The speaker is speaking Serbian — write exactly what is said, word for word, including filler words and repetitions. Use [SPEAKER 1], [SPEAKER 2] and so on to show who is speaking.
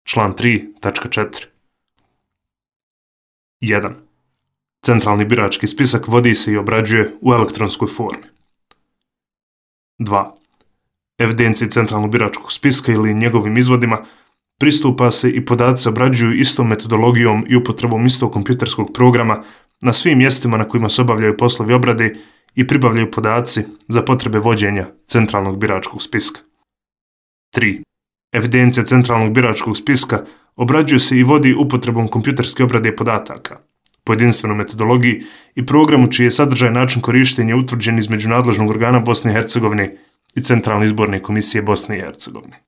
[SPEAKER 1] Član tri tačka četiri. jedan. Centralni birački spisak vodi se i obrađuje u elektronskoj formi. dva. Evidenciji centralnog biračkog spiska ili njegovim izvodima pristupa se i podaci se obrađuju istom metodologijom i upotrebom istog kompjuterskog programa na svim mjestima na kojima se obavljaju poslovi obrade i pribavljaju podaci za potrebe vođenja centralnog biračkog spiska. tri. Evidencija centralnog biračkog spiska obrađuje se i vodi upotrebom kompjuterske obrade podataka, po jedinstvenoj metodologiji i programu čiji je sadržaj način korištenja utvrđen između nadležnog organa Bosne i Hercegovine i Centralne izborne komisije Bosne i Hercegovine.